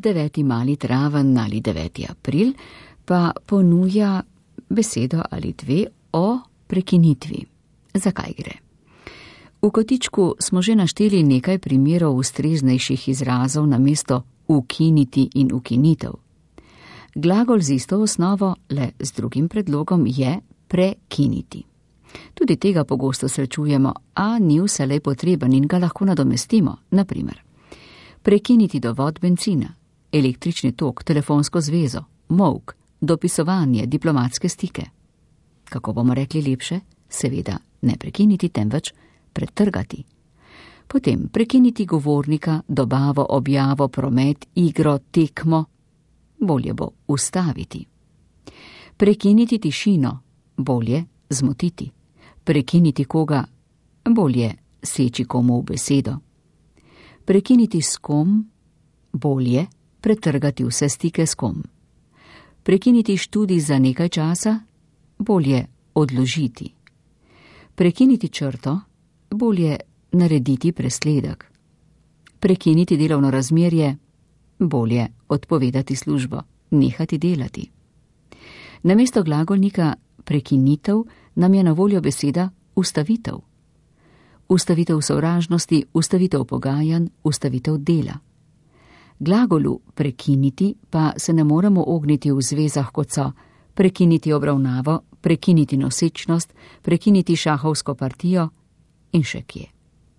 9. mali traven ali 9. april pa ponuja besedo ali dve o prekinitvi. Zakaj gre? V kotičku smo že našteli nekaj primerov ustreznejših izrazov namesto ukiniti in ukinitev. Glagol z isto osnovo, le z drugim predlogom, je prekiniti. Tudi tega pogosto srečujemo, a ni vselej potreben in ga lahko nadomestimo. Naprimer, prekiniti dovod bencina, električni tok, telefonsko zvezo, molk, dopisovanje, diplomatske stike. Kako bomo rekli lepše? Seveda ne prekiniti, temveč pretrgati. Potem prekiniti govornika, dobavo, objavo, promet, igro, tekmo. Bolje bo ustaviti. Prekiniti tišino, bolje zmotiti. Prekiniti koga, bolje seči komu v besedo. Prekiniti s kom, bolje pretrgati vse stike s kom. Prekiniti študij za nekaj časa, bolje odložiti. Prekiniti črto, bolje narediti presledek. Prekiniti delovno razmerje, bolje odpovedati službo, nehati delati. Namesto glagolnika prekinitev nam je na voljo beseda ustavitev. Ustavitev sovražnosti, ustavitev pogajanj, ustavitev dela. Glagolu prekiniti pa se ne moremo ogniti v zvezah, kot so prekiniti obravnavo, prekiniti nosečnost, prekiniti šahovsko partijo in še kje.